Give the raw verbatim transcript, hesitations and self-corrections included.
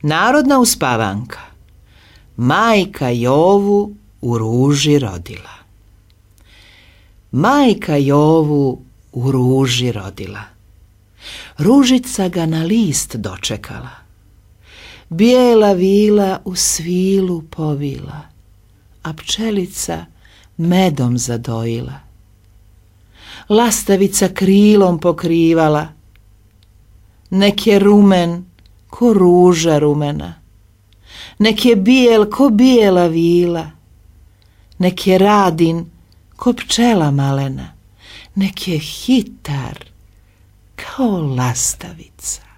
Narodna uspavanka. Majka Jovu u ruži rodila. Majka Jovu u ruži rodila. Ružica ga na list dočekala. Bijela vila u svilu povila, a pčelica medom zadojila. Lastavica krilom pokrivala, nek je rumen ko ruža rumena, nek je bijel ko bijela vila, nek je radin ko pčela malena, nek je hitar kao lastavica.